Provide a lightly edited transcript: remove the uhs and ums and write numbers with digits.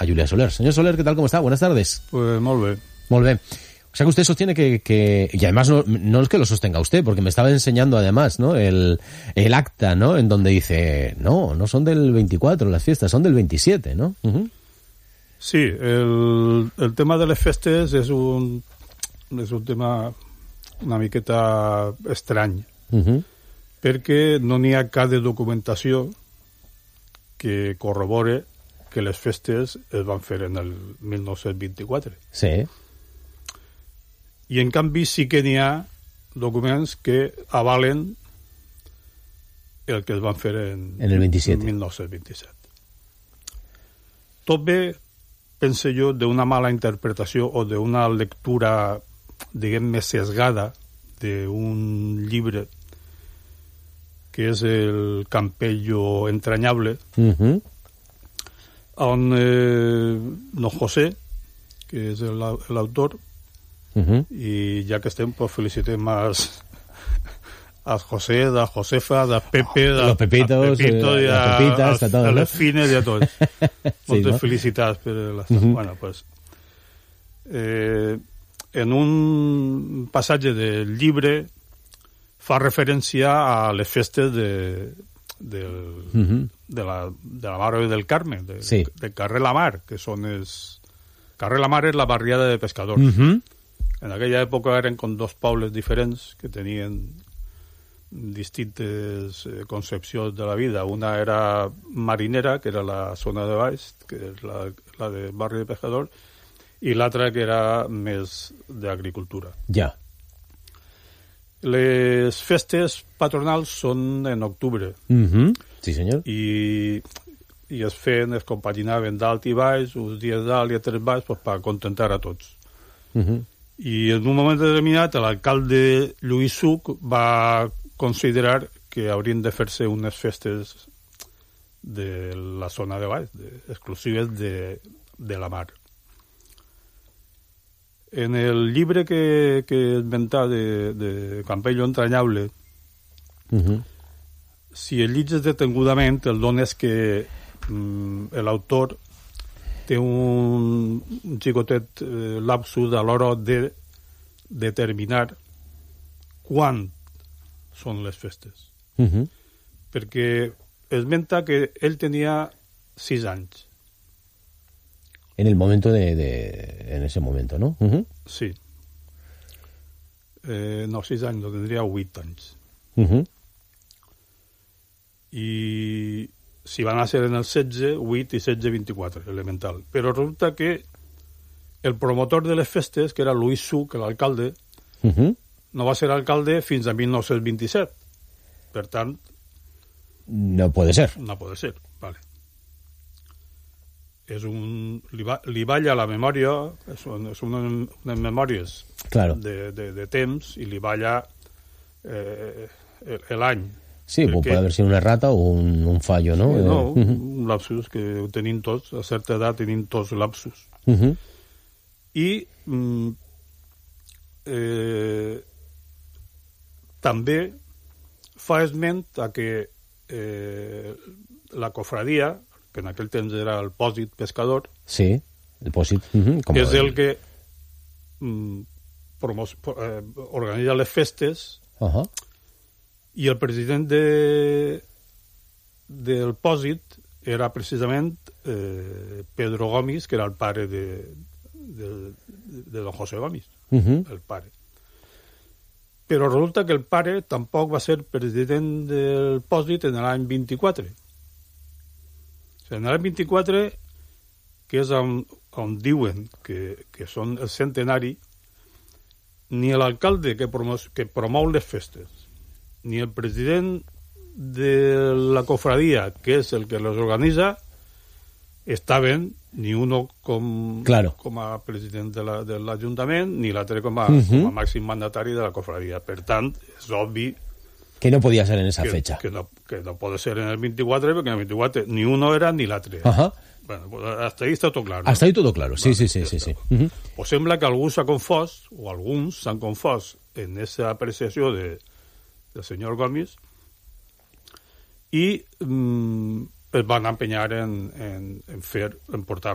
Julià Soler. Señor Soler, ¿qué tal? ¿Cómo está? Buenas tardes. Pues muy bien. Muy bien. O sea que usted sostiene que y además no es que lo sostenga usted, porque me estaba enseñando además, ¿no? El acta, ¿no? En donde dice, no son del 24 las fiestas, son del 27, ¿no? Uh-huh. Sí, el tema de les festes és un tema una miqueta estrany, perquè no n'hi ha cap de documentació que corrobore que les festes es van fer en el 1924. Sí. I en canvi sí que n'hi ha documents que avalen el que es van fer en el 27. 1927. Tot ve, pense jo, d'una mala interpretació o d'una lectura, diguem, més sesgada d'un llibre que és el Campello entrañable, on don José, que és l'autor, i ja que estem, pues felicitem a José, a Josefa, a Pepe, a los Pepitos, i a Pepitas, a todos, a les fines i a tots. Moltes no? felicitats per l'estat. Bueno, pues, en un passatge del llibre fa referència a les festes de la Mare del Carme, de Carrer La Mar, que són els... Carrer La Mar és la barriada de pescadors. En aquella època eren com dos pobles diferents que tenien distintes concepcions de la vida. Una era marinera, que era la zona de baix, que és la de barri de pescadors, i l'altra que era més d'agricultura. Ja. Les festes patronals són en octubre. Sí, senyor. I es compaginaven dalt i baix, uns dies dalt i altres baix, pues, per contentar a tots. I en un moment determinat l'alcalde Lluís Suc va considerar que haurien de fer-se unes festes de la zona de baix, exclusives de la mar. En el llibre que esmentà de Campello entrañable, si el llegis detingudament, el dones que l'autor té un xicotet lapsus a l'hora de determinar quan són les festes. Perquè esmenta que ell tenia 6 anys. En el momento en ese momento, ¿no? Sí. No, 6 anys, no, tindria 8 anys. I si van a ser en el 16, 8 i 16, 24, elemental. Però resulta que el promotor de les festes, que era Lluís Suc, l'alcalde, no va ser alcalde fins a 1927. Per tant... No puede ser. No puede ser, vale. És un... Li balla la memòria, són unes memòries de temps, i li balla l'any. Sí, puede haver sido una errata o un fallo, ¿no? No, un lapsus que ho tenim tots, a certa edat tenim tots lapsus. I també fa esment a que la cofradia, que en aquell temps era el pòsit pescador, sí, el pòsit, és el que organitza les festes, i el president del pòsit era precisament Pedro Gomis, que era el pare de don José Gomis, el pare. Però resulta que el pare tampoc va ser president del pòsit en l'any 24. O sigui, en l'any 24, que és on diuen que són el centenari, ni l'alcalde que promou les festes, ni el president de la cofradia, que és el que les organitza, estaven ni uno com a president de l'Ajuntament, ni l'altre com a màxim mandatari de la cofradia. Per tant, és obvi que no podia ser en esa fecha. Que no pot ser en el 24, perquè en el 24 ni uno era ni l'altre. Bueno, pues hasta ahí está todo claro. Hasta ahí todo claro, sí, sí, sí. Pues sembla que algú s'ha confós, o alguns s'han confós en aquesta apreciació del senyor Gomis, i es van empenyar en portar